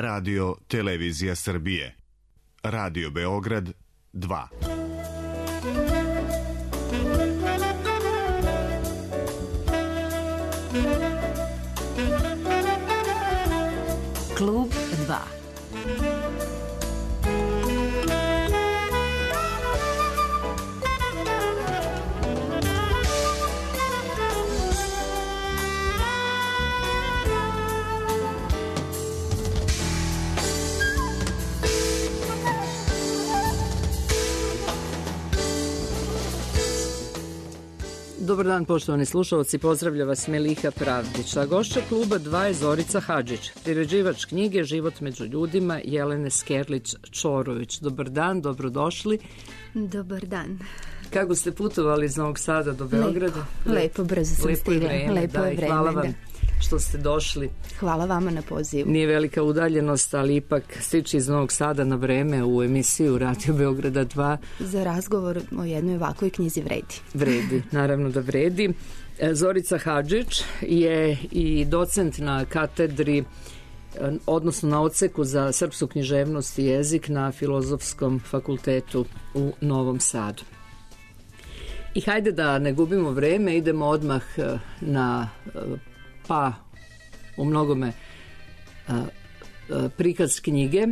Radio Televizija Srbije. Radio Beograd 2. Klub 2. Dobar dan, poštovani slušalci, pozdravlja vas Meliha Pravdić, a gošća kluba 2 je Zorica Hadžić, priređivač knjige Život među ljudima Jelene Skerlić-Čorović. Dobar dan, dobrodošli. Dobar dan. Kako ste putovali iz Novog Sada do Beograda? Lepo, brzo sam stigla. Lepo je vreme, hvala vam što ste došli. Hvala vama na pozivu. Nije velika udaljenost, ali ipak stići iz Novog Sada na vreme u emisiju Radio Beograda 2. Za razgovor o jednoj ovakvoj knjizi vredi. Vredi, naravno da vredi. Zorica Hadžić je i docent na katedri, odnosno na odseku za srpsku književnost i jezik na Filozofskom fakultetu u Novom Sadu. I hajde da ne gubimo vreme, idemo odmah na u mnogome prikaz knjige.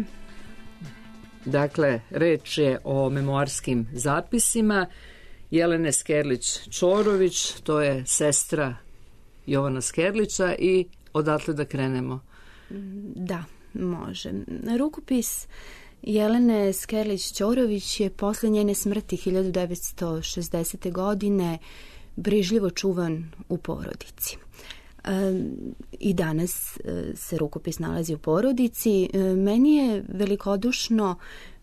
Dakle, reč je o memoarskim zapisima Jelene Skerlić-Čorović, to je sestra Jovana Skerlića, i odatle da krenemo. Da, može. Rukopis Jelene Skerlić-Čorović je posle njene smrti 1960. godine brižljivo čuvan u porodici. I danas se rukopis nalazi u porodici. Meni je velikodušno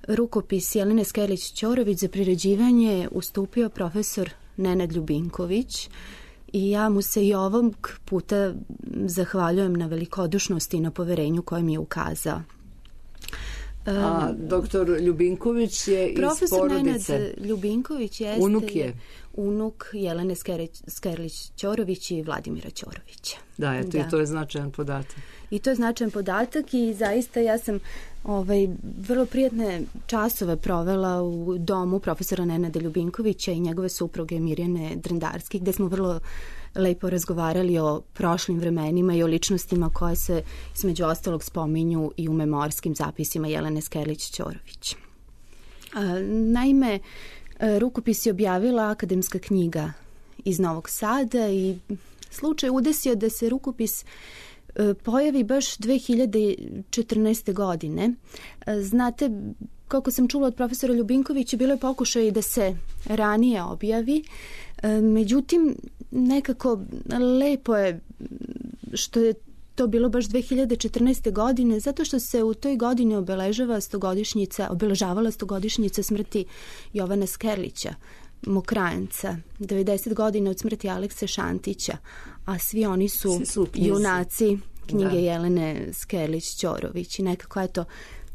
rukopis Jelene Skerlić-Čorović za priređivanje ustupio profesor Nenad Ljubinković i ja mu se i ovog puta zahvaljujem na velikodušnosti i na poverenju koje mi je ukazao. A doktor Ljubinković je iz profesor porodice. Nenad Ljubinković jeste unuk Jelene Skerlić-Čorović i Vladimira Ćorovića. Da, eto, i to je značajan podatak. I to je značajan podatak i zaista ja sam vrlo prijatne časove provela u domu profesora Nenada Ljubinkovića i njegove supruge Mirjane Drendarski, gde smo vrlo lepo razgovarali o prošlim vremenima i o ličnostima koje se između ostalog spominju i u memoarskim zapisima Jelene Skerlić-Čorović. Naime, rukopis je objavila Akademska knjiga iz Novog Sada i slučaj udesio da se rukopis pojavi baš 2014. godine. Znate, kako sam čula od profesora Ljubinkovića, bilo je pokušaj da se ranije objavi, međutim, nekako lepo je što je to bilo baš 2014. godine, zato što se u toj godini obeležavala 100-godišnjica smrti Jovana Skerlića, Mokranjca, 90 godina od smrti Alekse Šantića, a svi oni su junaci knjige Jelene Skerlić-Čorović i nekako eto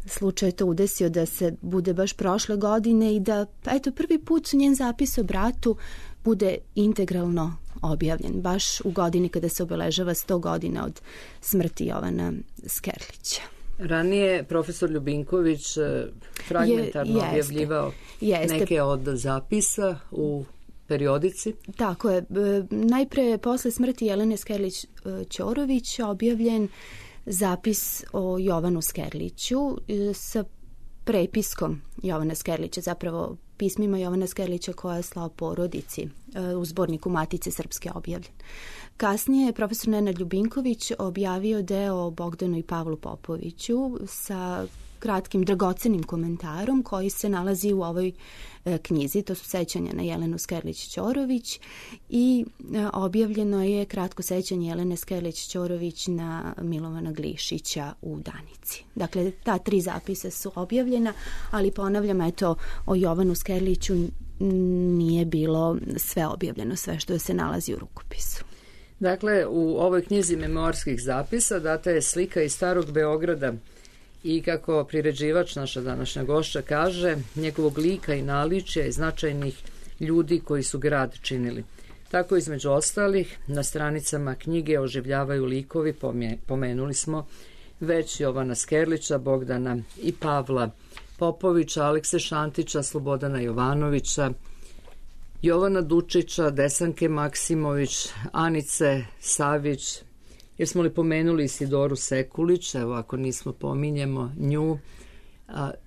slučaj to udesio da se bude baš prošle godine i da eto prvi put njen zapis o bratu bude integralno objavljen, baš u godini kada se obeležava 100 godina od smrti Jovana Skerlića. Ranije profesor Ljubinković fragmentarno objavljivao neke od zapisa u periodici. Tako je. Najpre posle smrti Jelene Skerlić-Čorović objavljen zapis o Jovanu Skerliću sa prepiskom Jovana Skerlića, zapravo pismima Jovana Skerlića koja je slao porodici u zborniku Matice Srpske objavljen. Kasnije je profesor Nenad Ljubinković objavio deo o Bogdanu i Pavlu Popoviću sa kratkim dragocenim komentarom koji se nalazi u ovoj knjizi, to su sećanja na Jelenu Skerlić-Čorović i objavljeno je kratko sećanje Jelene Skerlić-Čorović na Milovana Glišića u Danici. Dakle, ta 3 zapisa su objavljena, ali ponavljam, eto, o Jovanu Skerliću nije bilo sve objavljeno, sve što se nalazi u rukopisu. Dakle, u ovoj knjizi memoarskih zapisa data je slika iz Starog Beograda i kako priređivač, naša današnja gošća, kaže, njegovog lika i naličja i značajnih ljudi koji su grad činili. Tako između ostalih na stranicama knjige oživljavaju likovi, pomenuli smo već Jovana Skerlića, Bogdana i Pavla Popovića, Alekse Šantića, Slobodana Jovanovića, Jovana Dučića, Desanke Maksimović, Anice Savić, jer smo li pomenuli Isidoru Sekulić, evo ako nismo pominjemo nju.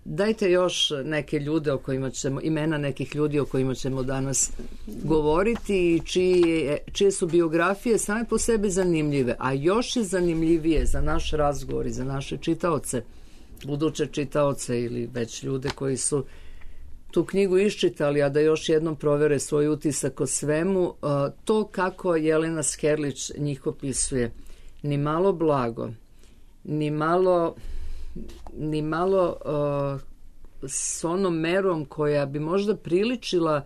Dajte još neke ljude o kojima ćemo, imena nekih ljudi o kojima ćemo danas govoriti i čije su biografije same po sebi zanimljive, a još je zanimljivije za naš razgovor i za naše čitaoce, buduće čitaoce ili već ljude koji su tu knjigu iščitali, a da još jednom provere svoj utisak o svemu, to kako Jelena Skerlić njih opisuje. Ni malo blago, ni malo s onom merom koja bi možda priličila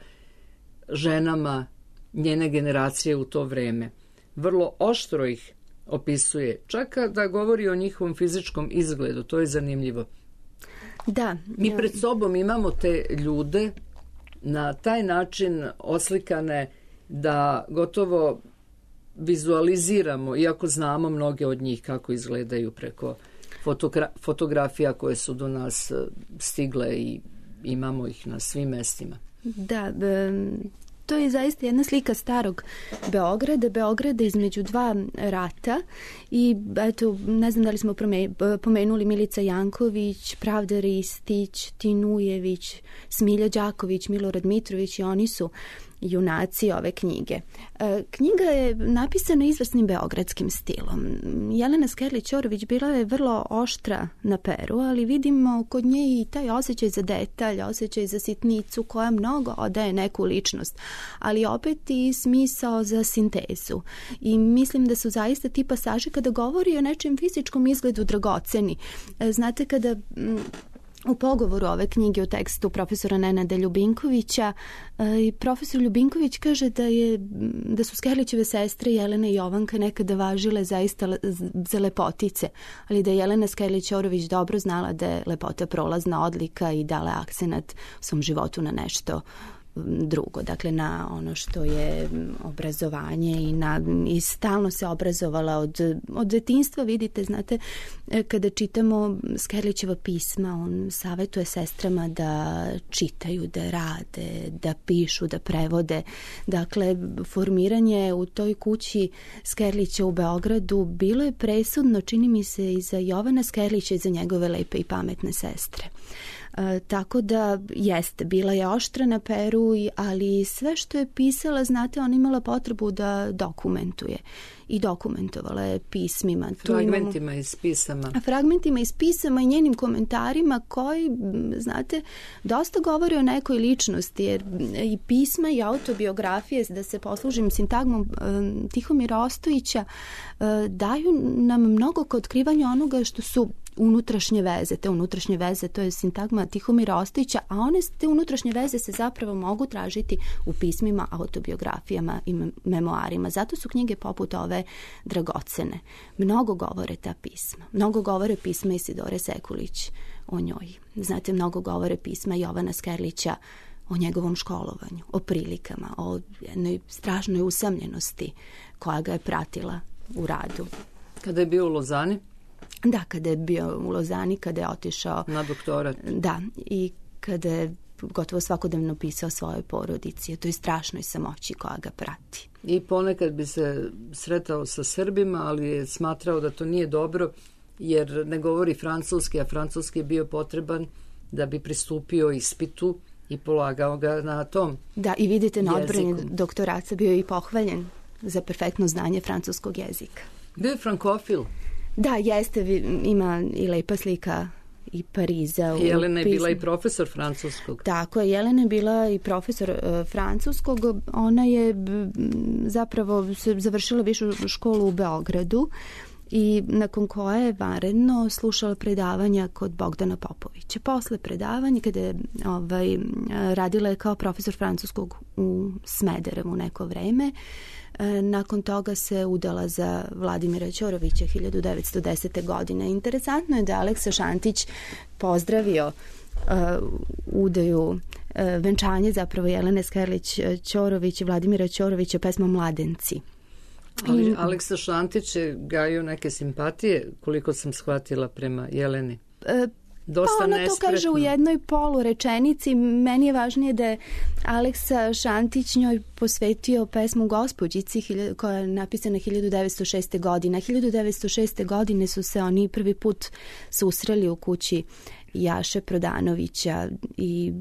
ženama njene generacije u to vreme. Vrlo oštro ih opisuje, čak da govori o njihovom fizičkom izgledu, to je zanimljivo. Da. Mi pred sobom imamo te ljude na taj način oslikane da gotovo vizualiziramo, iako znamo mnoge od njih kako izgledaju preko fotografija koje su do nas stigle i imamo ih na svim mestima. Da, to je zaista jedna slika starog Beograda između dva rata i eto, ne znam da li smo pomenuli Milica Janković, Pravda Ristić, Tinujević, Smilja Đaković, Milorad Mitrović i oni su junaci ove knjige. Knjiga je napisana izvrsnim beogradskim stilom. Jelena Skerlić-Ćorović bila je vrlo oštra na peru, ali vidimo kod nje i taj osjećaj za detalj, osjećaj za sitnicu koja mnogo odaje neku ličnost, ali opet i smisao za sintezu. I mislim da su zaista ti pasaži kada govori o nečem fizičkom izgledu dragoceni. Znate, kada u pogovoru ove knjige u tekstu profesora Nenada Ljubinkovića i profesor Ljubinković kaže da su Skerlićeve sestre Jelena i Jovanka nekada važile zaista za lepotice, ali da je Jelena Skerlić-Ćorović dobro znala da je lepota prolazna odlika i dala akcenat u svom životu na nešto drugo, dakle na ono što je obrazovanje i stalno se obrazovala od detinjstva. Vidite, znate, kada čitamo Skerlićeva pisma, on savjetuje sestrama da čitaju, da rade, da pišu, da prevode. Dakle, formiranje u toj kući Skerlića u Beogradu bilo je presudno, čini mi se, i za Jovana Skerlića i za njegove lepe i pametne sestre. Tako da jeste, bila je oštra na peru, ali sve što je pisala, znate, ona imala potrebu da dokumentuje i dokumentovala je pismima. Fragmentima iz pisama. Fragmentima iz pisama i njenim komentarima koji, znate, dosta govori o nekoj ličnosti, jer i pisma i autobiografije, da se poslužim sintagmom Tihomira Ostojića, daju nam mnogo ka otkrivanju onoga što su unutrašnje veze. Te unutrašnje veze, to je sintagma Tihomira Ostojića, a te unutrašnje veze se zapravo mogu tražiti u pismima, autobiografijama i memoarima. Zato su knjige poput ove dragocene. Mnogo govore ta pisma. Mnogo govore pisma Isidore Sekulić o njoj. Znate, mnogo govore pisma Jovana Skerlića o njegovom školovanju, o prilikama, o jednoj strašnoj usamljenosti koja ga je pratila u radu. Kada je bio u Lozani? Da, kada je bio u Lozani, kada je otišao na doktorat. Da, i kada je gotovo svakodnevno pisao svojoj porodici, o toj strašnoj samoći koja ga prati. I ponekad bi se sretao sa Srbima, ali je smatrao da to nije dobro, jer ne govori francuski, a francuski je bio potreban da bi pristupio ispitu i polagao ga na tom. Da, i vidite, na odbrani doktorata bio je i pohvaljen za perfektno znanje francuskog jezika. Bio je frankofil. Da, jeste, ima i lepa slika i Pariza. Jelena je bila i profesor francuskog. Tako je, Jelena je bila i profesor francuskog. Ona je zapravo završila višu školu u Beogradu i nakon koje je vanredno slušala predavanja kod Bogdana Popovića. Posle predavanja, kada je radila je kao profesor francuskog u Smederevu neko vreme, nakon toga se udala za Vladimira Ćorovića 1910. godine. Interesantno je da Aleksa Šantić pozdravio udaju, venčanje zapravo Jelene Skerlić-Ćorović i Vladimira Ćorovića pesmom Mladenci. Ali Aleksa Šantić je gajio neke simpatije, koliko sam shvatila, prema Jeleni. Dosta pa ona nespretno. To kaže u jednoj polurečenici. Meni je važnije da je Aleksa Šantić njoj posvetio pesmu Gospođici koja je napisana 1906. godine. 1906. godine su se oni prvi put susreli u kući Jaše Prodanovića i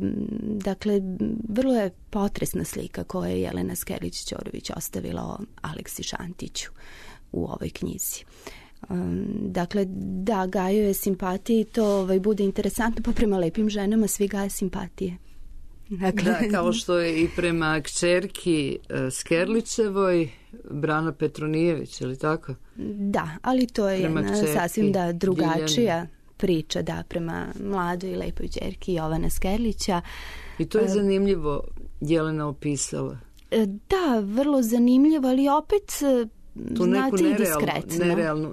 dakle vrlo je potresna slika koju je Jelena Skerlić-Ćorović ostavila o Aleksi Šantiću u ovoj knjizi. Dakle, da, gajio je simpatije i to bude interesantno, pa prema lepim ženama svi gaje simpatije. Dakle, da, kao što je i prema kćerki Skerlićevoj Brana Petronijević, ili tako? Da, ali to je jedna sasvim drugačija priča, da, prema mladoj i lepoj kćerki Jovana Skerlića. I to je zanimljivo Jelena opisala. Da, vrlo zanimljivo, ali opet tu neku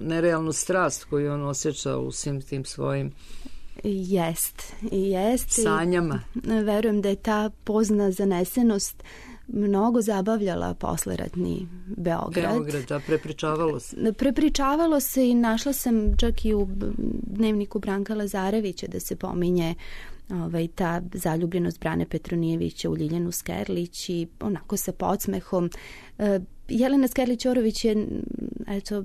nerealnu strast koju on osjeća u svim tim svojim jest sanjama. Verujem da je ta pozna zanesenost mnogo zabavljala posleratni Beograd. Da, prepričavalo se. Prepričavalo se i našla sam čak i u dnevniku Branka Lazarevića da se pominje ta zaljubljenost Brane Petronijevića u Ljiljanu Skerlić i onako sa podsmehom. Jelena Skerlić-Ćorović je, eto,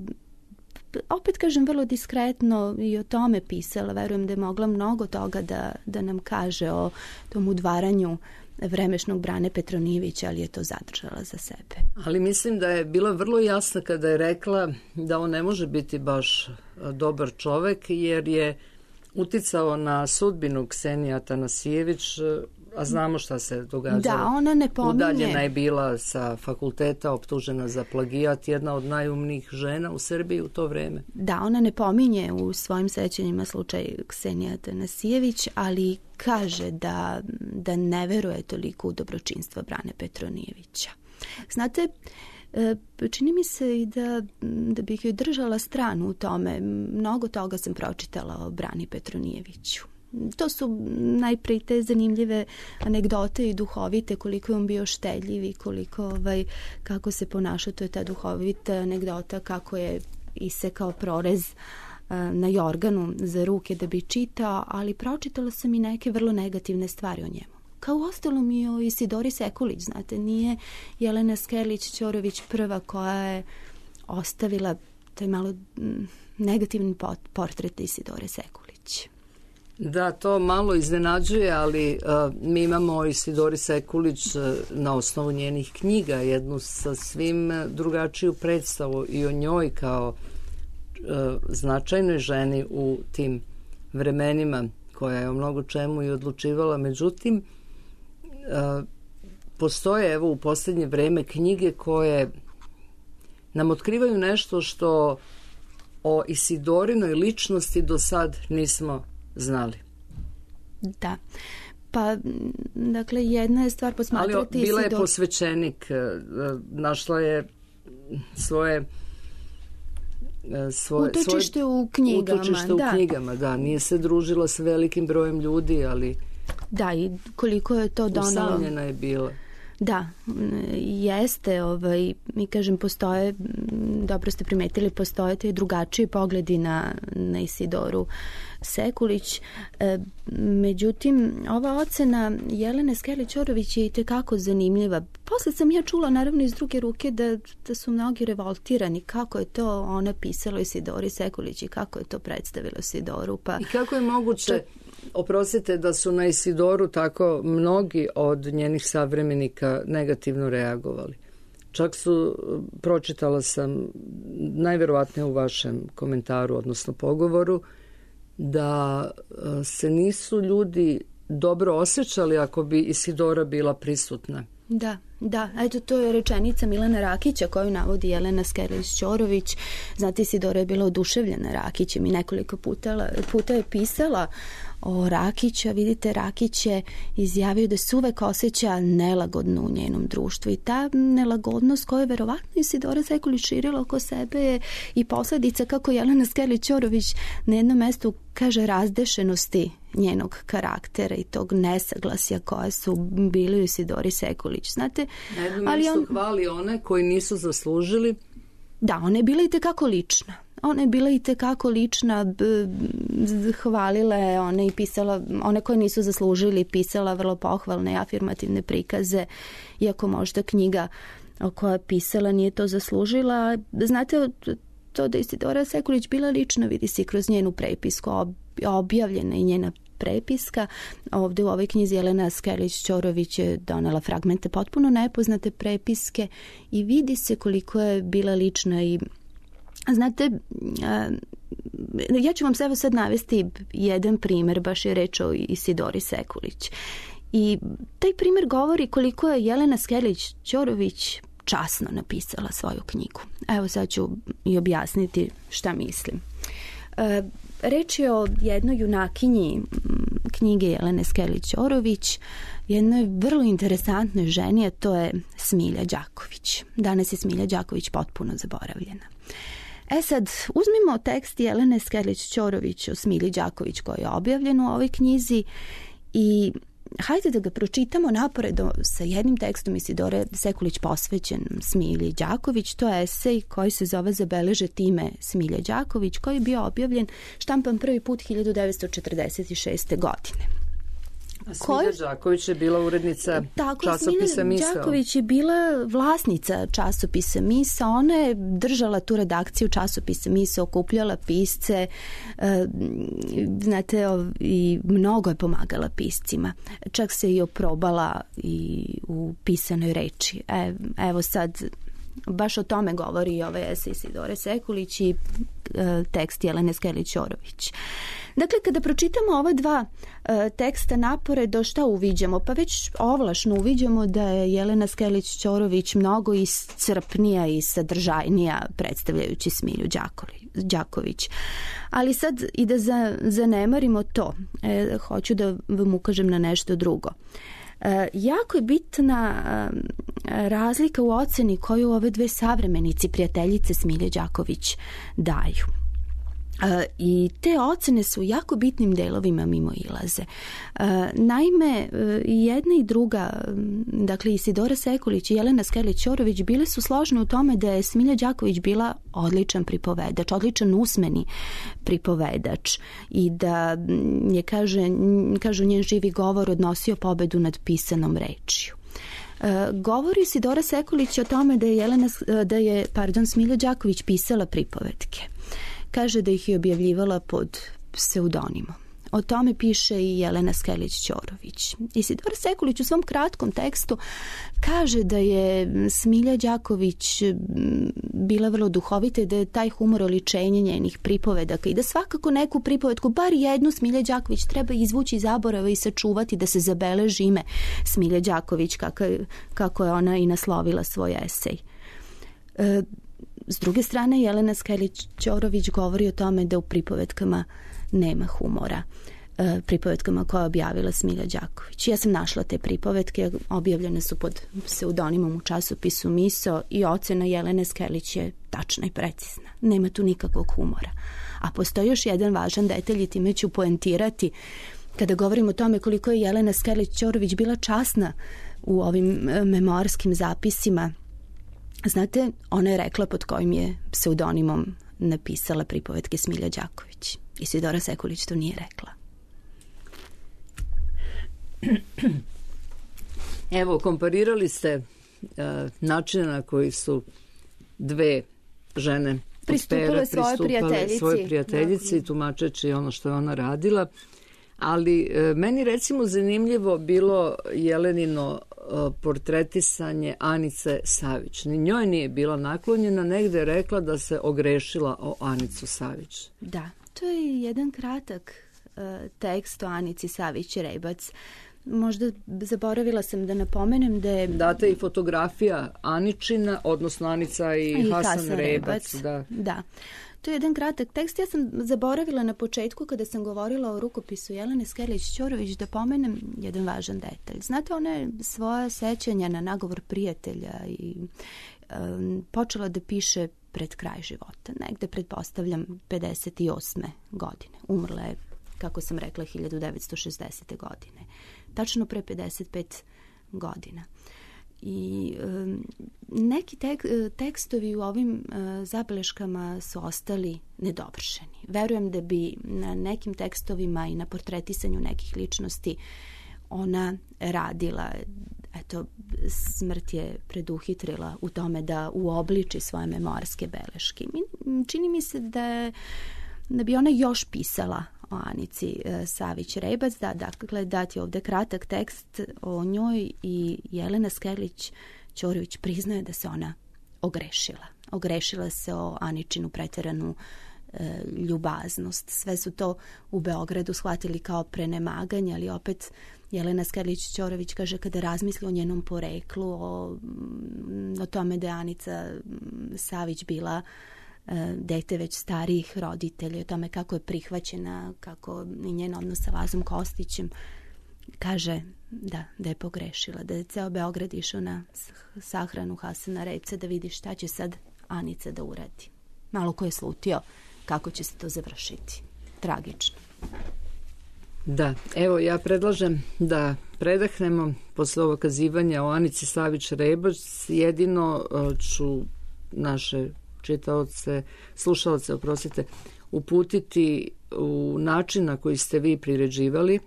opet kažem, vrlo diskretno i o tome pisala. Verujem da je mogla mnogo toga da nam kaže o tom udvaranju vremešnog Brane Petronijevića, ali je to zadržala za sebe. Ali mislim da je bila vrlo jasna kada je rekla da on ne može biti baš dobar čovek, jer je uticao na sudbinu Ksenije Atanasijević, a znamo šta se događalo. Da, ona ne pominje. Udaljena je bila sa fakulteta, optužena za plagijat, jedna od najumnijih žena u Srbiji u to vreme. Da, ona ne pominje u svojim sećanjima slučaj Ksenije Atanasijević, ali kaže da ne veruje toliko u dobročinstvo Brane Petronijevića. Znate, čini mi se i da bih joj držala stranu u tome. Mnogo toga sam pročitala o Brani Petronijeviću. To su najprije te zanimljive anegdote i duhovite, koliko je on bio štedljiv i koliko, kako se ponašao. To je ta duhovita anegdota kako je isekao prorez na jorganu za ruke da bi čitao, ali pročitala sam i neke vrlo negativne stvari o njemu. Kao uostalom i o Isidori Sekulić, znate, nije Jelena Skerlić-Ćorović prva koja je ostavila taj malo negativni portret Isidore Sekulić. Da, to malo iznenađuje, ali mi imamo o Isidori Sekulić na osnovu njenih knjiga jednu sasvim drugačiju predstavu i o njoj kao značajnoj ženi u tim vremenima, koja je o mnogo čemu i odlučivala. Međutim, postoje evo u posljednje vreme knjige koje nam otkrivaju nešto što o Isidorinoj ličnosti do sad nismo znali. Da. Pa, dakle, jedna je stvar posmatrati... Ali bila je posvećenik, našla je svoje utočište u knjigama. Da, nije se družila s velikim brojem ljudi, ali... Da, i koliko je to donalo... Usamljena je bila. Da, jeste, mi kažem, postoje, dobro ste primetili, postoje te drugačiji pogledi na Isidoru Sekulić. Međutim, ova ocena Jelene Skerlić-Ćorović je i tekako zanimljiva. Posle sam ja čula, naravno, iz druge ruke da su mnogi revoltirani kako je to ona pisala Isidori Sekulić i kako je to predstavila Isidoru. Pa, i kako je moguće... Oprostite, da su na Isidoru tako mnogi od njenih savremenika negativno reagovali. Čak su, pročitala sam, najverovatnije u vašem komentaru, odnosno pogovoru, da se nisu ljudi dobro osjećali ako bi Isidora bila prisutna. Da, eto, to je rečenica Milana Rakića koju navodi Jelena Skerlić-Ćorović. Znate, Isidora je bila oduševljena Rakićem i nekoliko puta je pisala o Rakiću. Vidite, Rakić je izjavio da se uvek osjeća nelagodno u njenom društvu i ta nelagodnost koju je verovatno Isidora Sekulić širila oko sebe je i posledica, kako Jelena Skerlić-Ćorović na jednom mestu kaže, razdešenosti njenog karaktera i tog nesaglasja koje su bili u Isidori Sekulić. Znate, na jednom mjestu hvali one koji nisu zaslužili Da, ona je bila i tekako lična. Ona je bila i tekako lična, hvalila je one i pisala, one koje nisu zaslužili, pisala vrlo pohvalne i afirmativne prikaze, iako možda knjiga koja je pisala nije to zaslužila. Znate, to da je Isidora Sekulić bila lična vidi se kroz njenu prepisku, objavljena i njena prepiska. Ovdje u ovoj knjizi Jelena Skelić-Ćorović je donela fragmente potpuno nepoznate prepiske i vidi se koliko je bila lična. I znate, ja ću vam evo sad navesti jedan primjer, baš je reč o Isidori Sekulić. I taj primjer govori koliko je Jelena Skelić-Ćorović časno napisala svoju knjigu. Evo sad ću i objasniti šta mislim. Reč je o jednoj junakinji knjige Jelene Skelić-Ćorović, jednoj vrlo interesantnoj ženi, a to je Smilja Đaković. Danas je Smilja Đaković potpuno zaboravljena. Sad, uzmimo tekst Jelene Skelić-Ćorović o Smilji Đaković koji je objavljen u ovoj knjizi i hajde da ga pročitamo naporedo sa jednim tekstom Isidore Sekulić posvećen Smilji Đaković. To je esej koji se zove Zabeležiti ime Smilje Đaković, koji je bio objavljen, štampan prvi put 1946. godine. Smilja Đaković je bila urednica časopisa Misao. Smilja Đaković je bila vlasnica časopisa Misao. Ona je držala tu redakciju časopisa Misao, okupljala pisce, znate, i mnogo je pomagala piscima. Čak se i oprobala i u pisanoj reči. Evo sad, baš o tome govori i ovaj esej Isidore Sekulić i tekst Jelene Skelić-Ćorović. Dakle, kada pročitamo ova dva teksta naporedo, šta uviđamo? Pa već ovlašno uviđamo da je Jelena Skelić-Ćorović mnogo iscrpnija i sadržajnija predstavljajući Smilju Đaković. Ali sad i da zanemarimo to, hoću da vam ukažem na nešto drugo. Jako je bitna razlika u oceni koju ove dve savremenici, prijateljice Smilje Đaković, daju. I te ocene su jako bitnim delovima mimoilaze. Naime, jedna i druga, dakle Isidora Sekulić i Jelena Skelić-Ćorović bile su složne u tome da je Smilja Đaković bila odličan pripovedač, odličan usmeni pripovedač i da je, kažu, njen živi govor odnosio pobedu nad pisanom rečju. Govori Isidora Sekulić o tome da je Smilja Đaković pisala pripovetke. Kaže da ih je objavljivala pod pseudonimom. O tome piše i Jelena Skelić-Ćorović. Isidora Sekulić u svom kratkom tekstu kaže da je Smilja Đaković bila vrlo duhovita i da je taj humor oličenje njenih pripovedaka i da svakako neku pripovedku, bar jednu Smilja Đaković, treba izvući iz zaborava i sačuvati da se zabeleži ime Smilja Đaković kako je ona i naslovila svoj esej. S druge strane, Jelena Skelić-Ćorović govori o tome da u pripovetkama nema humora. Pripovetkama koje je objavila Smilja Đaković. Ja sam našla te pripovetke, objavljene su pod pseudonimom u časopisu Misao i ocena Jelene Skelić je tačna i precizna. Nema tu nikakvog humora. A postoji još jedan važan detalj i time ću poentirati kada govorim o tome koliko je Jelena Skelić-Ćorović bila časna u ovim memoarskim zapisima. Znate, ona je rekla pod kojim je pseudonimom napisala pripovetke Smilja Đaković. Isidora Sekulić to nije rekla. Evo, komparirali ste načine na koji su dve žene pristupile svoje prijateljici i tumačeći ono što je ona radila. Ali meni recimo zanimljivo bilo Jelenino portretisanje Anice Savić. Ni njoj nije bila naklonjena, negde je rekla da se ogrešila o Anicu Savić. Da, to je jedan kratak tekst o Anici Savić-Rebac. Možda zaboravila sam da napomenem da je... Data i fotografija Aničina, odnosno Anica i Hasan Rebac. Da. To je jedan kratak tekst. Ja sam zaboravila na početku kada sam govorila o rukopisu Jelene Skelić-Ćorović da pomenem jedan važan detalj. Znate, ona je svoja sećanja na nagovor prijatelja i počela da piše pred kraj života. Negde pretpostavljam 58. godine. Umrla je, kako sam rekla, 1960. godine. Tačno pre 55 godina. I neki tekstovi u ovim zabeleškama su ostali nedovršeni. Verujem da bi na nekim tekstovima i na portretisanju nekih ličnosti ona radila. Eto, smrt je preduhitrila u tome da uobliči svoje memoarske beleške. Čini mi se da bi ona još pisala o Anici Savić-Rebac, dakle dati ovde kratak tekst o njoj i Jelena Skerlić-Ćorović priznaje da se ona ogrešila. Ogrešila se o Aničinu preteranu ljubaznost. Sve su to u Beogradu shvatili kao prenemaganje, ali opet Jelena Skerlić-Ćorović kaže kada razmisli o njenom poreklu, o tome da je Anica Savić bila dete već starijih roditelja, o tome kako je prihvaćena, kako i njen odnos sa Lazom Kostićem, kaže da je pogrešila, da je ceo Beograd išao na sahranu Hasana Repca da vidi šta će sad Anica da uradi. Malo ko je slutio kako će se to završiti. Tragično. Da, evo ja predlažem da predahnemo posle ovog kazivanja o Anici Savić-Rebac. Jedino ću naše čitaoce, slušaoce, uputiti u način na koji ste vi priređivali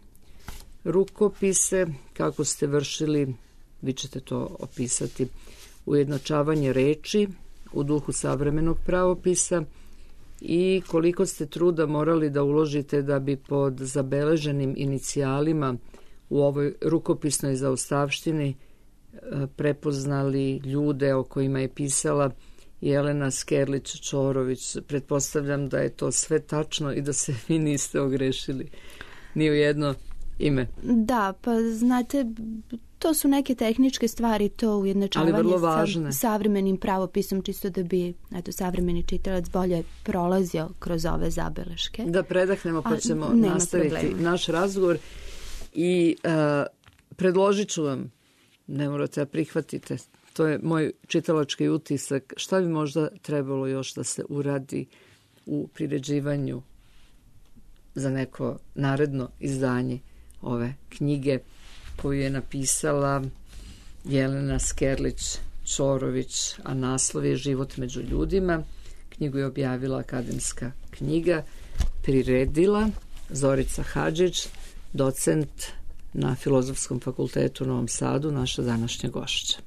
rukopise, kako ste vršili, vi ćete to opisati, ujednačavanje reči u duhu savremenog pravopisa i koliko ste truda morali da uložite da bi pod zabeleženim inicijalima u ovoj rukopisnoj zaostavštini prepoznali ljude o kojima je pisala Jelena Skerlić-Ćorović. Pretpostavljam da je to sve tačno i da se vi niste ogrešili ni u jedno ime. Da, pa znate, to su neke tehničke stvari, to ujednačavanje sa savremenim pravopisom, čisto da bi savremeni čitalac bolje prolazio kroz ove zabeleške. Da predahnemo pa ćemo nastaviti naš razgovor i predložit ću vam, ne morate da prihvatite, to je moj čitalački utisak, šta bi možda trebalo još da se uradi u priređivanju za neko naredno izdanje ove knjige koju je napisala Jelena Skerlić-Ćorović, a naslov je Život među ljudima. Knjigu je objavila Akademska knjiga, priredila Zorica Hadžić, docent na Filozofskom fakultetu u Novom Sadu, naša današnja gošća.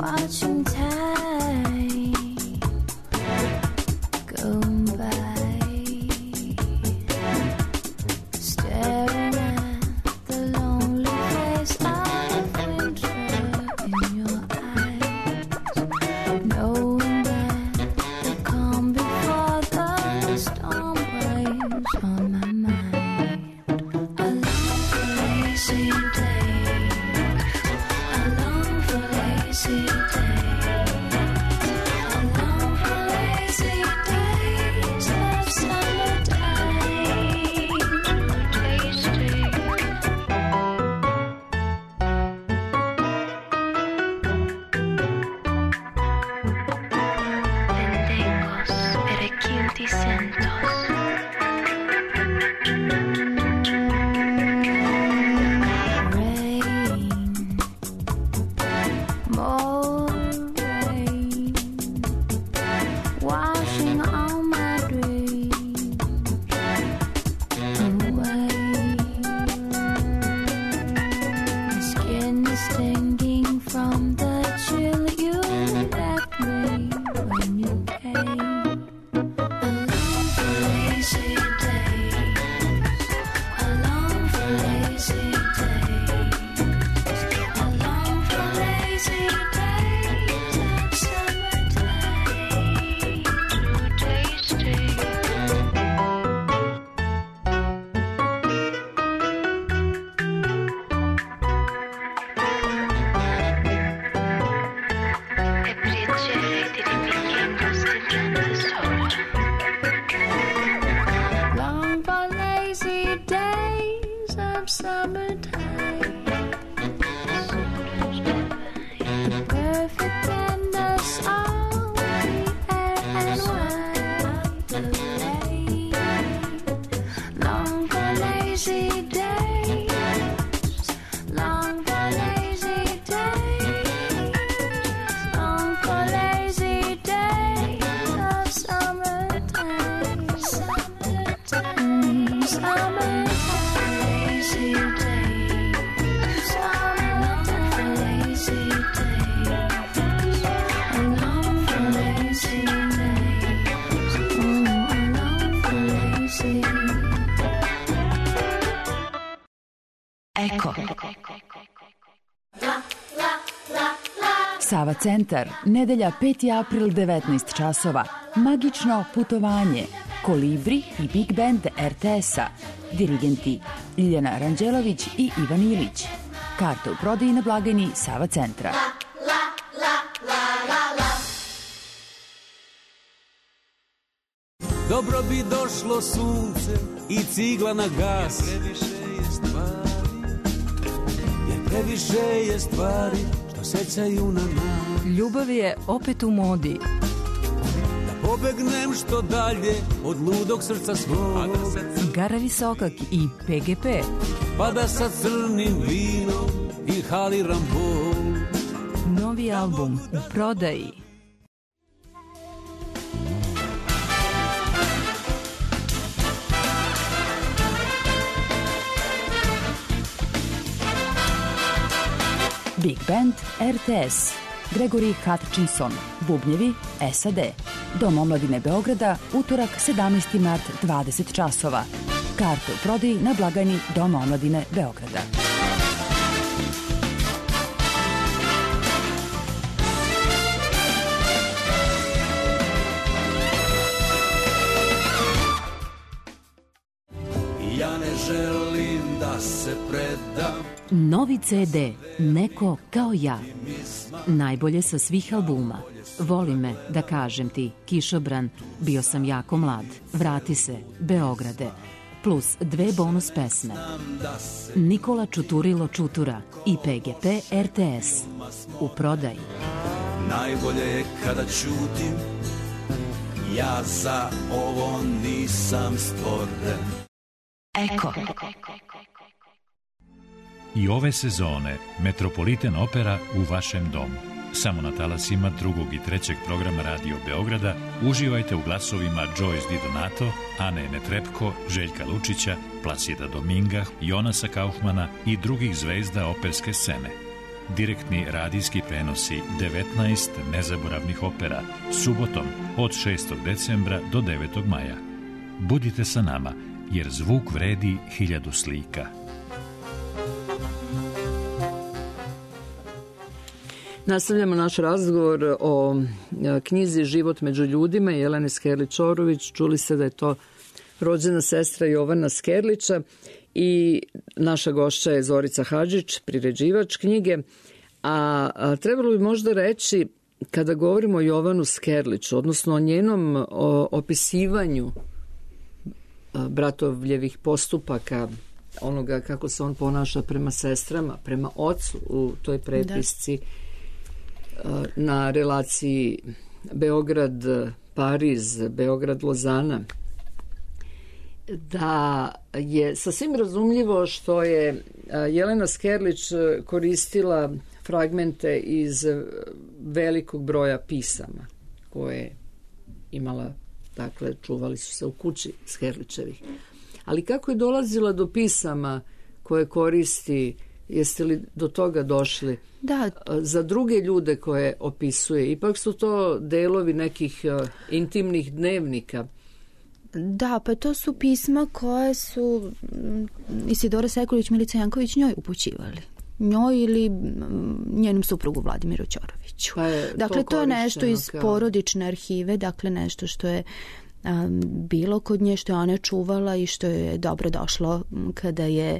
Watching time go by. Sava centar, nedelja 5. april 19 časova. Magično putovanje. Kolibri i Big Band RTS-a. Dirigenti Ljiljana Ranđelović i Ivan Ilić. Karte u prodaji na blagajni Sava centra. Dobro bi došlo sunce i cigla na gas. Jer previše je stvari što sećaju na nas. Ljubav je opet u modi. Da pobegnem što dalje od ludog srca svog. Gara Visokak i PGP. Pa da sa crnim vinom inhaliram bol. Novi album u prodaji. Big Band RTS. Gregory Hutchinson, bubnjevi SAD. Dom omladine Beograda, utorak 17. mart 20 časova. Karte u prodaji na blagajni Doma omladine Beograda. Ja ne želim da se predam. Novi CD, Neko kao ja. Najbolje sa svih albuma. Voli me, da kažem ti, Kišobran, Bio sam jako mlad, Vrati se, Beograde, plus 2 bonus pesme. Nikola Čuturilo Čutura i PGP RTS. U prodaji. Najbolje je kada ćutim, ja za ovo nisam stvoren. Eko. I ove sezone Metropolitan Opera u vašem domu. Samo na talasima 2. i 3. programa Radio Beograda uživajte u glasovima Joyce Di Donato, Ane Netrepko, Željka Lučića, Plasida Dominga, Jonasa Kaufmana i drugih zvezda operske scene. Direktni radijski prenosi 19 nezaboravnih opera subotom od 6. decembra do 9. maja. Budite sa nama, jer zvuk vredi 1000 slika. Nastavljamo naš razgovor o knjizi Život među ljudima Jelene Skerlić-Orović. Čuli ste da je to rođena sestra Jovana Skerlića i naša gošća je Zorica Hadžić, priređivač knjige. A trebalo bi možda reći, kada govorimo o Jovanu Skerliću, odnosno o njenom opisivanju bratovljevih postupaka, onoga kako se on ponaša prema sestrama, prema ocu u toj prepisci, na relaciji Beograd-Pariz, Beograd-Lozana, da je sasvim razumljivo što je Jelena Skerlić koristila fragmente iz velikog broja pisama koje imala, dakle, čuvali su se u kući Skerlićevih. Ali kako je dolazila do pisama koje koristi, jeste li do toga došli? Da. Za druge ljude koje opisuje, ipak su to delovi nekih intimnih dnevnika. Da, pa to su pisma koje su Isidora Sekulić, Milica Janković njoj upućivali. Njoj ili njenom suprugu Vladimiru Ćoroviću. Dakle, to je nešto iz porodične arhive, dakle nešto što je bilo kod nje, što je ona čuvala i što je dobro došlo kada je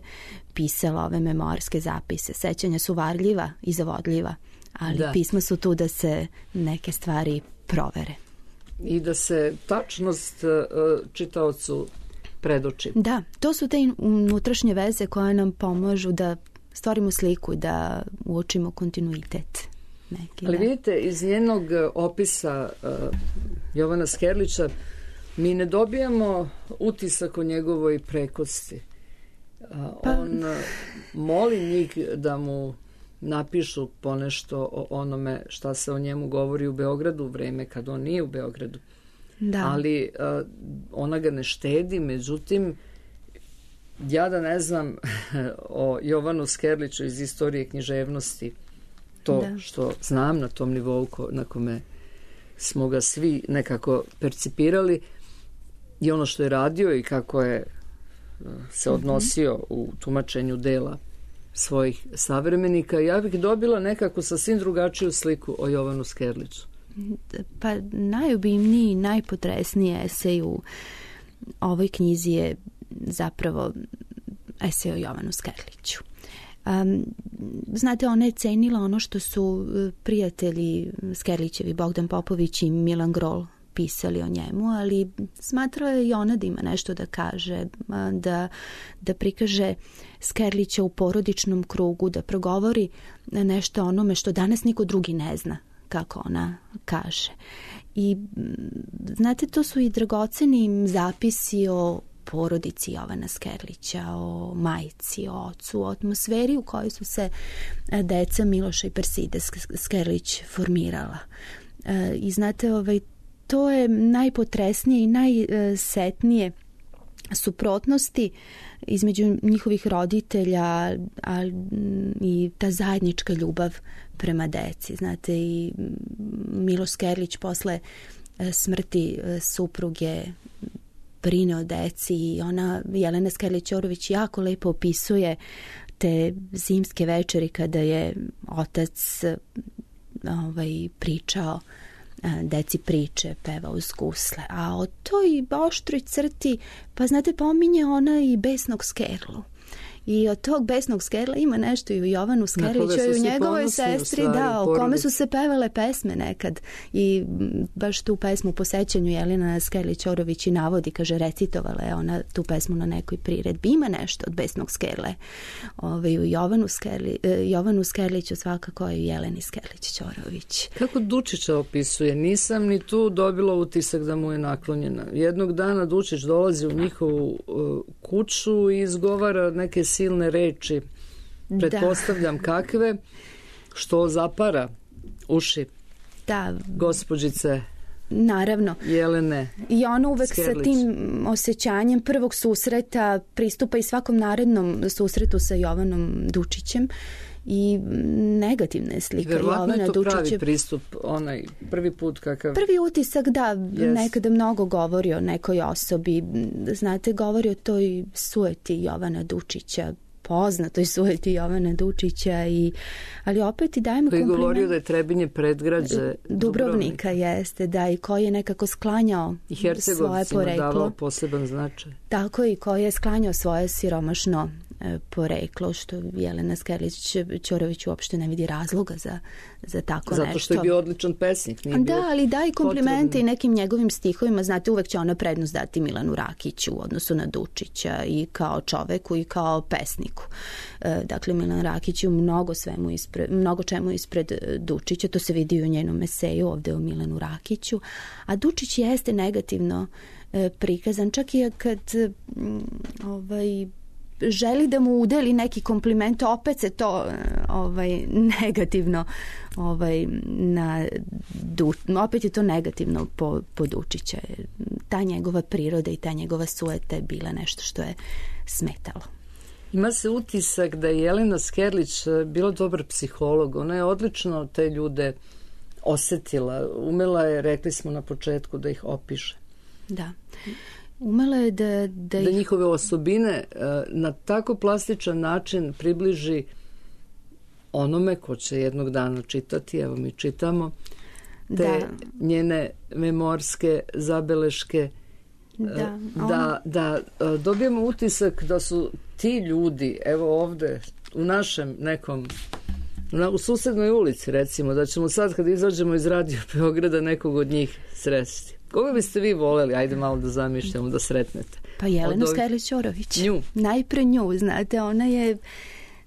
pisala ove memoarske zapise. Sećanja su varljiva i zavodljiva, ali pisma su tu da se neke stvari provere. I da se tačnost čitaocu predoči. Da, to su te unutrašnje veze koje nam pomažu da stvorimo sliku, da uočimo kontinuitet. Neki, ali vidite, iz njenog opisa Jovana Skerlića mi ne dobijamo utisak o njegovoj prekosti. On moli njih da mu napišu ponešto o onome šta se o njemu govori u Beogradu, vreme kad on nije u Beogradu. Da. Ali ona ga ne štedi, međutim, ja da ne znam o Jovanu Skerliću iz istorije književnosti, to što znam na tom nivou na kome smo ga svi nekako percipirali, i ono što je radio i kako je se odnosio u tumačenju dela svojih savremenika. Ja bih dobila nekako sasvim drugačiju sliku o Jovanu Skerliću. Pa najobimniji i najpotresniji esej u ovoj knjizi je zapravo esej o Jovanu Skerliću. Znate, ona je cenila ono što su prijatelji Skerlićevi, Bogdan Popović i Milan Grol, pisali o njemu, ali smatrala je i ona da ima nešto da kaže, da prikaže Skerlića u porodičnom krugu, da progovori nešto onome što danas niko drugi ne zna, kako ona kaže. I znate, to su i dragoceni zapisi o porodici Jovana Skerlića, o majci, o ocu, o atmosferi u kojoj su se deca Miloša i Perside Skerlić formirala. I znate, to je najpotresnije i najsetnije suprotnosti između njihovih roditelja i ta zajednička ljubav prema deci. Znate, i Miloš Skerlić posle smrti supruge brine o deci i ona, Jelena Skerlić-Ćorović, jako lepo opisuje te zimske večeri kada je otac pričao deci priče, peva uz gusle. A o toj oštroj crti, pa znate, pominje ona i besnog Skerlu. I od tog besnog Skerla ima nešto i u Jovanu Skerliću i u njegovoj sestri, o kome su se pevale pesme nekad. I baš tu pesmu po sećanju Jelena Skerlić-Ćorović i navodi, kaže, recitovala je ona tu pesmu na nekoj priredbi. Ima nešto od besnog Skerle. U Jovanu Skerliću svakako i Jeleni Skerlić-Ćorović. Kako Dučića opisuje? Nisam ni tu dobila utisak da mu je naklonjena. Jednog dana Dučić dolazi u njihovu kuću i izgovara neke silne reči, pretpostavljam kakve, što zapara uši gospođice, naravno, Jelene i ona uvek Skerlić. Sa tim osjećanjem prvog susreta pristupa i svakom narednom susretu sa Jovanom Dučićem i negativna je slika Jovana Dučića. Verovatno je to pravi pristup, onaj prvi put kakav... Prvi utisak, nekada mnogo govori o nekoj osobi. Znate, govori o toj sueti Jovana Dučića, poznatoj sueti Jovana Dučića, ali opet i dajemo koji kompliment. Govorio da je Trebinje predgrađe Dubrovnika. Jeste, i koji je nekako sklanjao i svoje poreklo. davao poseban značaj. Tako, i koji je sklanjao svoje siromašno poreklo, što Jelena Skerlić-Ćorović uopšte ne vidi razloga za tako nešto. Zato što je bio odličan pesnik. Ali da i komplimente i nekim njegovim stihovima. Znate, uvek će ona prednost dati Milanu Rakiću u odnosu na Dučića i kao čoveku i kao pesniku. Dakle, Milan Rakić je mnogo čemu ispred Dučića. To se vidi u njenom eseju ovde o Milanu Rakiću. A Dučić jeste negativno prikazan. Čak i kad želi da mu udeli neki kompliment, opet se to negativno opet je to negativno po Dučića. Ta njegova priroda i ta njegova sueta je bila nešto što je smetalo. Ima se utisak da je Jelena Skerlić bila dobar psiholog. Ona je odlično te ljude osetila. Umela je, rekli smo na početku, da ih opiše. Da. Umela je da njihove osobine na tako plastičan način približi onome ko će jednog dana čitati. Evo, mi čitamo te njene memorske zabeleške, da dobijemo utisak da su ti ljudi, evo ovde u našem nekom, u susednoj ulici recimo, da ćemo sad kad izađemo iz Radio Beograda nekog od njih sresti. Koga biste vi voleli, ajde malo da zamišljamo, da sretnete? Pa Jelenu Skerlić-Ćorović. Nju. Najpre nju, znate, ona je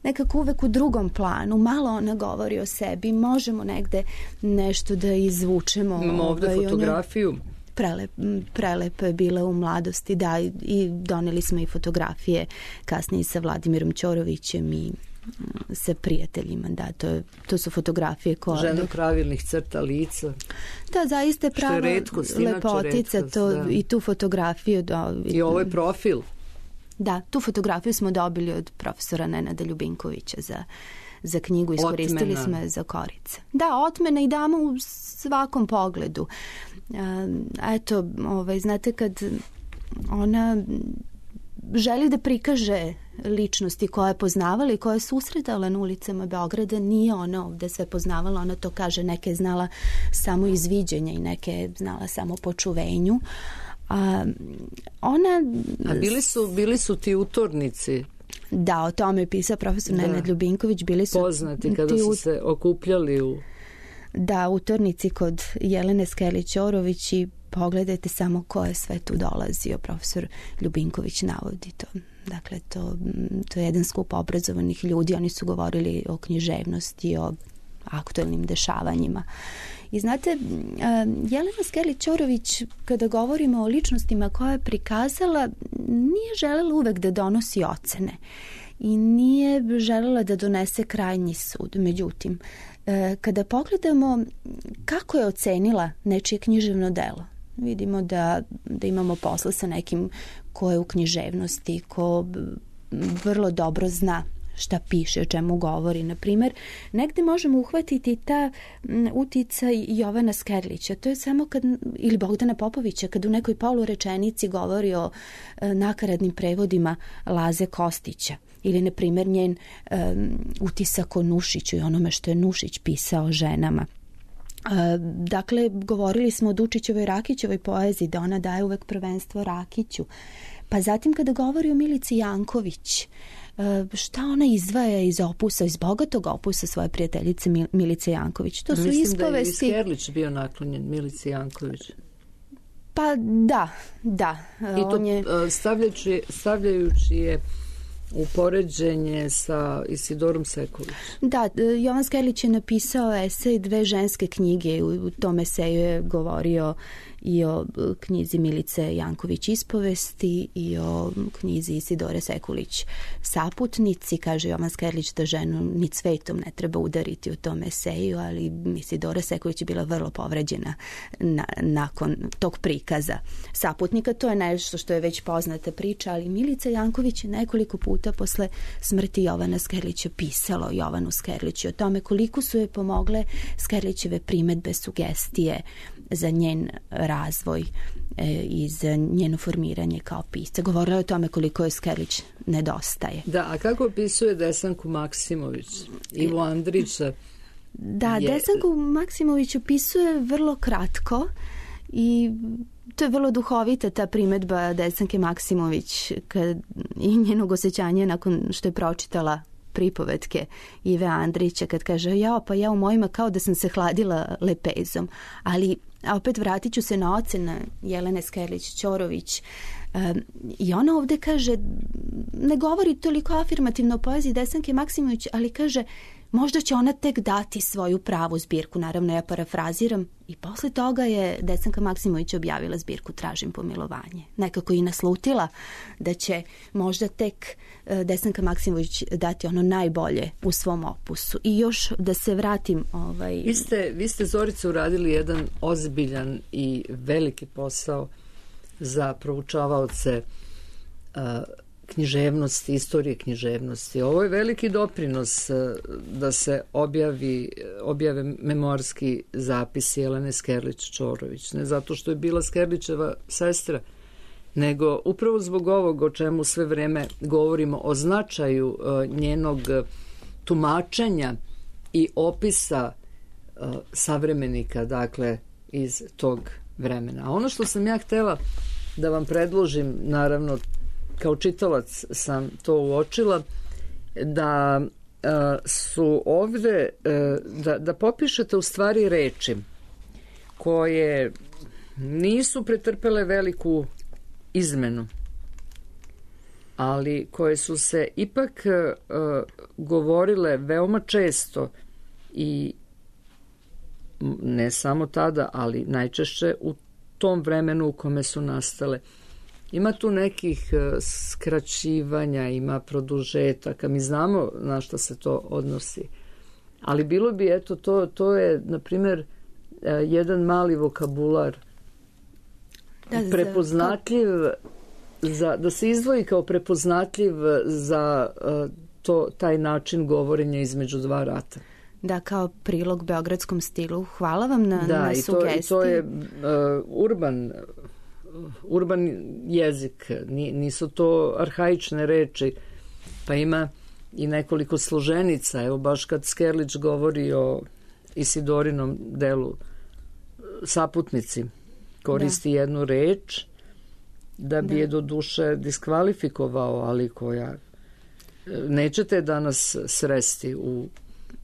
nekako uvek u drugom planu. Malo ona govori o sebi, možemo negde nešto da izvučemo. Imamo ovde fotografiju. Prelepa je bila u mladosti, i doneli smo i fotografije kasnije sa Vladimirom Ćorovićem i sa prijateljima, to su fotografije koje... Žena pravilnih crta lica. Da, zaista je prava lepotica, i tu fotografiju... I ovo je profil. Da, tu fotografiju smo dobili od profesora Nenada Ljubinkovića za knjigu, iskoristili smo je za korice. Da, otmena i dama u svakom pogledu. Eto, znate, kad ona želi da prikaže ličnosti koje je poznavala i koje je susretala na ulicama Beograda. Nije ona ovde sve poznavala, ona to kaže, neke je znala samo iz viđenja i neke je znala samo po čuvenju. A bili su ti utornici. Da, o tome je pisao profesor Nenad Ljubinković. Bili su poznati kada su se okupljali u... Da, utornici kod Jelene Skerlić-Ćorović i pogledajte samo ko je sve tu dolazio. Profesor Ljubinković navodi to. Dakle, to je jedan skup obrazovanih ljudi. Oni su govorili o književnosti, o aktuelnim dešavanjima. I znate, Jelena Skerlić-Ćorović, kada govorimo o ličnostima koje je prikazala, nije želela uvek da donosi ocene i nije želela da donese krajnji sud. Međutim, kada pogledamo kako je ocenila nečije književno delo, vidimo da imamo posla sa nekim ko je u književnosti, ko vrlo dobro zna šta piše, o čemu govori. Naprimjer, negde možemo uhvatiti ta uticaj Jovana Skerlića. To je samo ili Bogdana Popovića, kad u nekoj polurečenici govori o nakaradnim prevodima Laze Kostića. Ili, na primjer, njen utisak o Nušiću i onome što je Nušić pisao o ženama. Dakle, govorili smo o Dučićevoj i Rakićevoj poeziji, da ona daje uvek prvenstvo Rakiću. Pa zatim kada govori o Milici Janković, šta ona izdvaja iz opusa, iz bogatog opusa svoje prijateljice Milice Janković. To su mislim ispovesti... da je i Skerlić bio naklonjen Milici Janković. Pa da. I to stavljajući je u poređenje sa Isidorom Sekulić. Da, Jovan Skerlić je napisao esej Dve ženske knjige. U tom eseju je govorio i o knjizi Milice Janković Ispovesti i o knjizi Isidore Sekulić Saputnici. Kaže Jovan Skerlić da ženu ni cvetom ne treba udariti u tom eseju, ali Isidora Sekulić je bila vrlo povređena nakon tog prikaza Saputnika. To je nešto što je već poznata priča, ali Milica Janković je nekoliko puta posle smrti Jovana Skerlića pisalo Jovanu Skerliću o tome koliko su joj pomogle Skerlićeve primedbe, sugestije za njen razvoj i za njeno formiranje kao pisca. Govorila je o tome koliko je Skerlić nedostaje. Da, a kako opisuje Desanku Maksimović? Ivo Andrića? Da, Desanku Maksimović opisuje vrlo kratko i to je vrlo duhovita ta primedba Desanke Maksimović i njenog osjećanja nakon što je pročitala pripovetke Ive Andrića, kad kaže pa ja u mojima kao da sam se hladila lepezom. Ali opet vratit ću se na ocene Jelene Skerlić-Ćorović. I ona ovde kaže, ne govori toliko afirmativno o poeziji Desanke Maksimović, ali kaže možda će ona tek dati svoju pravu zbirku. Naravno, ja parafraziram. I posle toga je Desanka Maksimović objavila zbirku Tražim pomilovanje. Nekako i naslutila da će možda tek Desanka Maksimović dati ono najbolje u svom opusu. I još da se vratim... Vi ste, Zorice, uradili jedan ozbiljan i veliki posao za proučavaoce književnosti, istorije književnosti. Ovo je veliki doprinos da se objave memoarski zapisi Jelene Skerlić-Ćorović. Ne zato što je bila Skerlićeva sestra, nego upravo zbog ovog o čemu sve vreme govorimo, o značaju njenog tumačenja i opisa savremenika, dakle, iz tog vremena. A ono što sam ja htela da vam predložim, naravno, kao čitalac sam to uočila, da su ovde, da popišete u stvari reči koje nisu pretrpele veliku izmenu, ali koje su se ipak govorile veoma često i ne samo tada, ali najčešće u tom vremenu u kome su nastale. Ima tu nekih skraćivanja, ima produžetaka, mi znamo na što se to odnosi. Ali bilo bi, to je, na primjer, jedan mali vokabular prepoznatljiv, da se izdvoji kao prepoznatljiv za taj način govorenja između dva rata. Da, kao prilog beogradskom stilu. Hvala vam na sugestiji. Da, to je urban jezik, nisu to arhaične reči Pa ima i nekoliko složenica. Evo baš kad Skerlić govori o Isidorinom delu Saputnici, koristi jednu reč da bi je do duše diskvalifikovao, ali koja nećete danas sresti u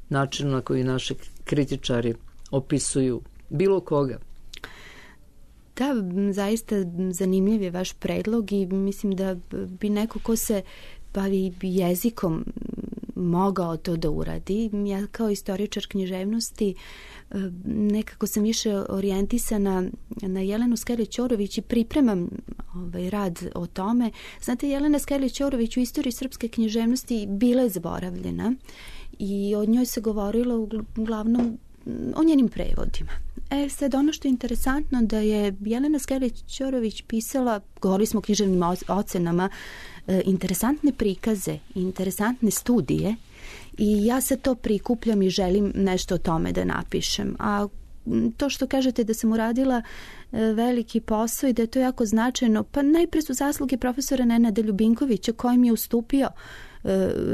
načinu na koji naši kritičari opisuju bilo koga. Da, zaista zanimljiv je vaš predlog i mislim da bi neko ko se bavi jezikom mogao to da uradi. Ja kao istoričar književnosti nekako sam više orijentisana na Jelenu Skerlić-Ćorović i pripremam rad o tome. Znate, Jelena Skerlić-Ćorović u istoriji srpske književnosti bila je zaboravljena i od njoj se govorilo uglavnom o njenim prevodima. Sad ono što je interesantno da je Jelena Skerlić-Ćorović pisala, govorili smo o književnim ocenama, interesantne prikaze, interesantne studije i ja se to prikupljam i želim nešto o tome da napišem. A to što kažete da sam uradila veliki posao i da je to jako značajno, pa najpre su zasluge profesora Nenada Ljubinkovića kojim je ustupio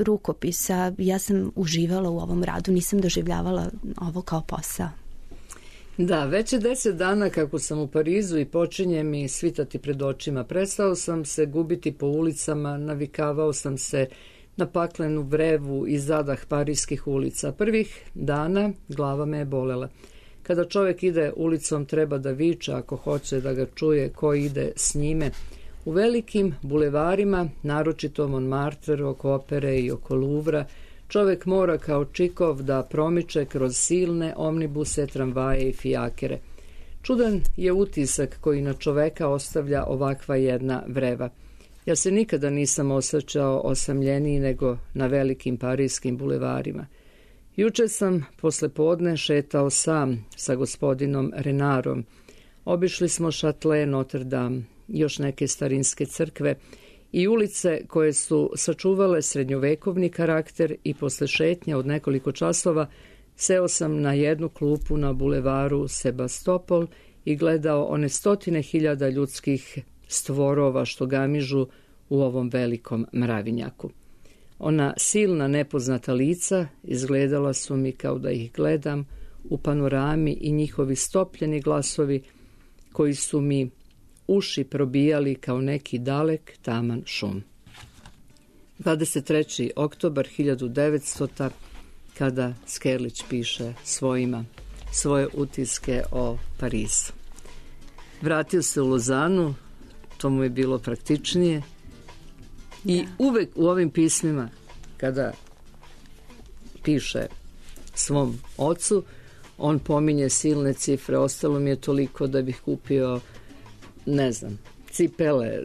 rukopisa. Ja sam uživala u ovom radu, nisam doživljavala ovo kao posao. Da, već je 10 dana kako sam u Parizu i počinje mi svitati pred očima. Prestao sam se gubiti po ulicama, navikavao sam se na paklenu vrevu i zadah parijskih ulica. Prvih dana glava me je bolela. Kada čovjek ide ulicom treba da viče ako hoće da ga čuje ko ide s njime. U velikim bulevarima, naročito Montmartre, oko opere i oko Louvra, čovjek mora kao Čikov da promiče kroz silne omnibuse, tramvaje i fijakere. Čudan je utisak koji na čoveka ostavlja ovakva jedna vreva. Ja se nikada nisam osjećao osamljeniji nego na velikim parijskim bulevarima. Juče sam posle podne šetao sam sa gospodinom Renarom. Obišli smo Châtelet, Notre Dame, još neke starinske crkve i ulice koje su sačuvale srednjovekovni karakter i posle šetnje od nekoliko časova seo sam na jednu klupu na bulevaru Sebastopol i gledao one 100.000 ljudskih stvorova što gamižu u ovom velikom mravinjaku. Ona silna nepoznata lica izgledala su mi kao da ih gledam u panorami i njihovi stopljeni glasovi koji su mi uši probijali kao neki dalek taman šum. 23. oktobar 1900. kada Skerlić piše svoje utiske o Parizu. Vratio se u Lozanu, to mu je bilo praktičnije i uvek u ovim pismima kada piše svom ocu, on pominje silne cifre, ostalo mi je toliko da bih kupio ne znam, cipele,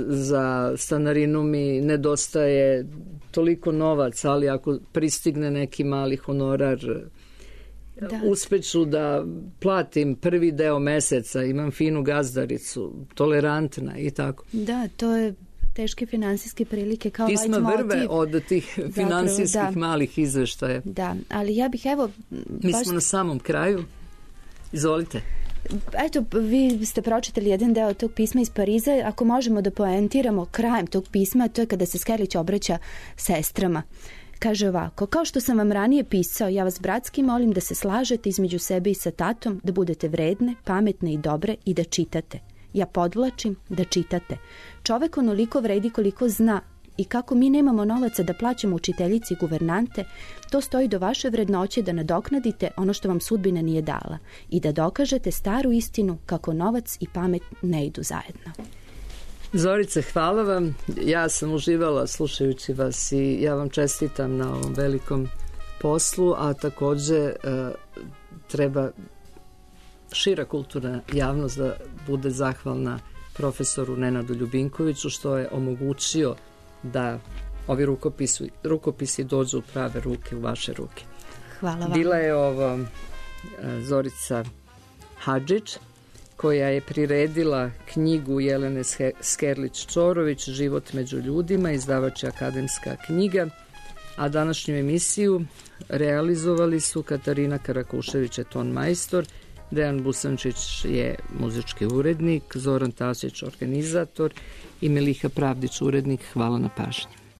za stanarinu mi nedostaje toliko novac, ali ako pristigne neki mali honorar, uspeću da platim prvi deo meseca, imam finu gazdaricu, tolerantna i tako. Da, to je teške finansijske prilike kao pisma leitmotiv. Vrve od tih finansijskih malih izveštaja. Da, ali ja bih Mi smo na samom kraju. Izvolite. Eto, vi ste pročitali jedan deo tog pisma iz Pariza. Ako možemo da poentiramo krajem tog pisma, to je kada se Skerlić obraća sestrama. Kaže ovako: kao što sam vam ranije pisao, ja vas bratski molim da se slažete između sebe i sa tatom, da budete vredne, pametne i dobre i da čitate. Ja podvlačim da čitate. Čovek onoliko vredi koliko zna i kako mi nemamo novaca da plaćamo učiteljici i guvernante, to stoji do vaše vrednoće da nadoknadite ono što vam sudbina nije dala i da dokažete staru istinu kako novac i pamet ne idu zajedno. Zorice, hvala vam. Ja sam uživala slušajući vas i ja vam čestitam na ovom velikom poslu, a takođe treba šira kulturna javnost da bude zahvalna profesoru Nenadu Ljubinkoviću što je omogućio da ovi rukopisi dođu u prave ruke, u vaše ruke. Hvala vam. Bila je ovo Zorica Hadžić, koja je priredila knjigu Jelene Skerlić-Ćorović Život među ljudima, izdavač je Akademska knjiga, a današnju emisiju realizovali su Katarina Karakušević je ton majstor, Dejan Busančić je muzički urednik, Zoran Tasić organizator i Meliha Pravdić urednik. Hvala na pažnji.